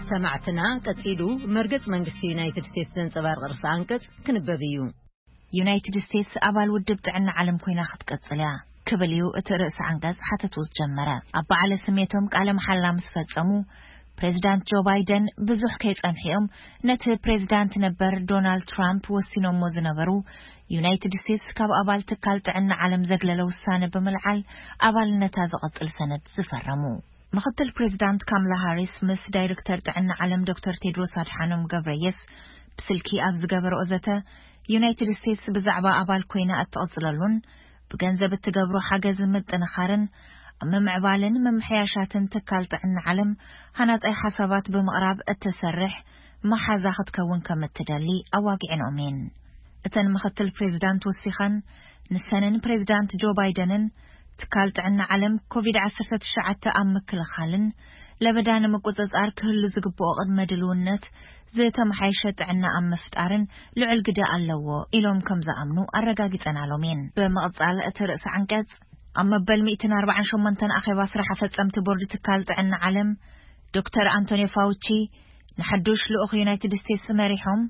ሰማዕትና፣ ቀጺሉ መርገጽ መንግስቲ ዩናይትድ ስቴትስ ዘንጸባርቕ ርእሰ ኣንቀጽ ክንበብ እዩ። ዩናይትድ ስቴትስ ኣባል ውድብ ጥዕና ዓለም ኮይና ክትቀጽል እያ ክብል እዩ እቲ ርእሰ ኣንቀጽ ሓተቱ ዝጀመረ። ኣብ በዓለ ስሜቶም ቃለ መሓላ ምስ ፈጸሙ፣ ፕሬዚዳንት ጆ ባይደን ብዙሕ ከይጸንሑ እዮም ነቲ ፕሬዚዳንት ነበር ዶናልድ ትራምፕ ወሲኖሞ ዝነበሩ ዩናይትድ ስቴትስ ካብ ኣባል ትካል ጥዕና ዓለም ዘግለለ ውሳነ ብምልዓል ኣባልነታ ዝቐጽል ሰነድ ዝፈረሙ። ምኽትል ፕሬዚዳንት ካምላ ሃሪስ ምስ ዳይሬክተር ጥዕና ዓለም ዶክተር ቴድሮስ ኣድሓኖም ገብረየስ ብስልኪ ኣብ ዝገበረኦ ዘተ፣ ዩናይትድ ስቴትስ ብዛዕባ ኣባል ኮይና እትቕጽለሉን ብገንዘብ እትገብሮ ሓገዝ ምጥንኻርን ኣብ ምምዕባልን ምምሕያሻትን ትካል ጥዕና ዓለም ሃናጻይ ሓሳባት ብምቕራብ እትሰርሕ መሓዛ ክትከውን ከም እትደሊ ኣዋጊዐንኦም እየን። እተን ምኽትል ፕሬዚዳንት ወሲኸን፣ ንሰንን ፕሬዚዳንት ጆ ባይደንን ትካል ጥዕና ዓለም ኮቪድ ዓሰርተ ትሽዓተ ኣብ ምክልኻልን ለበዳ ንምቁጽጻር ክህሉ ዝግብኦ ቅድመ ድልውነት ዝተመሓየሸ ጥዕና ኣብ ምፍጣርን ልዑል ግደ ኣለዎ ኢሎም ከም ዝኣምኑ ኣረጋጊጸናሎም እየን። ብምቕጻል እቲ ርእሰ ዓንቀጽ፣ ኣብ መበል ሚእትን ኣርባዓን ሸሞንተን ኣኼባ ስራሕ ኣፈጸምቲ ቦርድ ትካል ጥዕና ዓለም ዶክተር ኣንቶኒዮ ፋውቺ ንሓዱሽ ልኡኽ ዩናይትድ ስቴትስ መሪሖም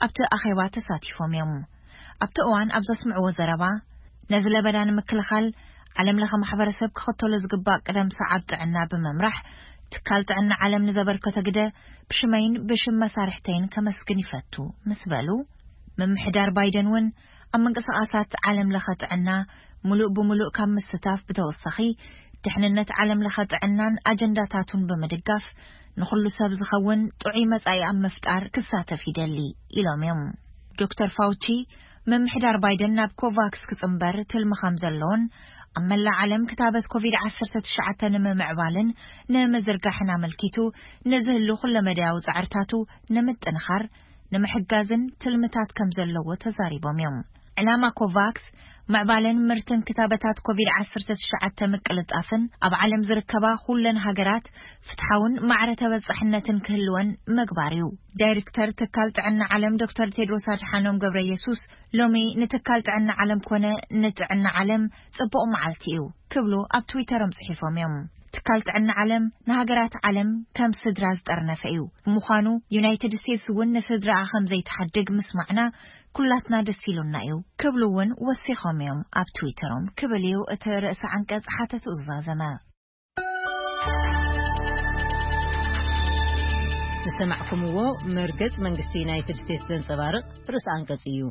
ኣብቲ ኣኼባ ተሳቲፎም እዮም። ኣብቲ እዋን ኣብ ዘስምዕዎ ዘረባ፣ ነዚ ለበዳ ንምክልኻል ዓለም ለኸ ማሕበረሰብ ክኽተሎ ዝግባእ ቅደም ሰዓብ ጥዕና ብምምራሕ፣ ትካል ጥዕና ዓለም ንዘበርከቶ ግደ ብሽመይን ብሽም መሳርሕተይን ከመስግን ይፈቱ ምስ በሉ፣ ምምሕዳር ባይደን እውን ኣብ ምንቅስቓሳት ዓለም ለኸ ጥዕና ምሉእ ብምሉእ ካብ ምስታፍ ብተወሳኺ፣ ድሕንነት ዓለም ለኸ ጥዕናን ኣጀንዳታቱን ብምድጋፍ፣ ንኹሉ ሰብ ዝኸውን ጥዑይ መጻኢ ኣብ ምፍጣር ክሳተፍ ይደሊ ኢሎም እዮም። ዶክተር ፋውቺ፣ ምምሕዳር ባይደን ናብ ኮቫክስ ክጽንበር ትልሚ ከም ዘለዎን፣ ኣብ መላእ ዓለም ክታበት ኮቪድ ዓሰርተ ትሽዓተ ንምምዕባልን ንምዝርጋሕን ኣመልኪቱ ንዝህሉ ኩለመዳያዊ ጻዕርታቱ ንምጥንኻር ንምሕጋዝን ትልምታት ከም ዘለዎ ተዛሪቦም እዮም። ዕላማ ኮቫክስ፣ ምዕባለን ምርትን ክታበታት ኮቪድ ዓሰርተ ትሽዓተ ምቅልጣፍን ኣብ ዓለም ዝርከባ ኩለን ሃገራት ፍትሓውን ማዕረ ተበጻሕነትን ክህልወን ምግባር እዩ። ዳይሬክተር ትካል ጥዕና ዓለም ዶክተር ቴድሮስ ኣድሓኖም ገብረ የሱስ፣ ሎሚ ንትካል ጥዕና ዓለም ኮነ ንጥዕና ዓለም ጽቡቕ መዓልቲ እዩ ክብሉ ኣብ ትዊተሮም ጽሒፎም እዮም። ትካል ጥዕና ዓለም ንሃገራት ዓለም ከም ስድራ ዝጠርነፈ እዩ። ብምዃኑ፣ ዩናይትድ ስቴትስ እውን ንስድራኣ ከም ዘይትሓድግ ምስማዕና ኩላትና ደስ ኢሉና እዩ ክብሉ እውን ወሲኾም እዮም ኣብ ትዊተሮም ክብል እዩ እቲ ርእሰ ዓንቀጽ ሓተቱ ዝዛዘመ። ዝሰማዕኩምዎ መርገጽ መንግስቲ ዩናይትድ ስቴትስ ዘንጸባርቕ ርእሰ ኣንቀጽ እዩ።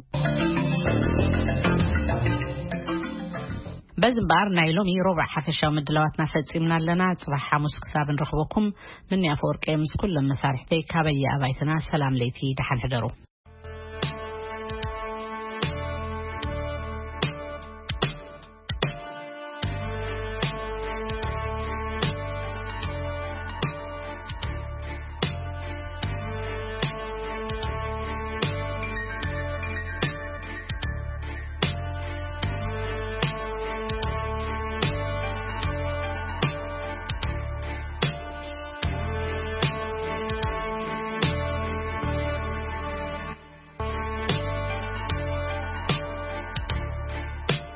በዚ እምበኣር ናይ ሎሚ ሮብዕ ሓፈሻዊ ምድላዋትና ፈጺምና ኣለና። ጽባሕ ሓሙስ ክሳብ ንረኽበኩም፣ ምንያ ኣፈወርቂ ምስ ኩሎም መሳርሕተይ ካበየ ኣባይትና ሰላም ለይቲ፣ ደሓን ሕደሩ።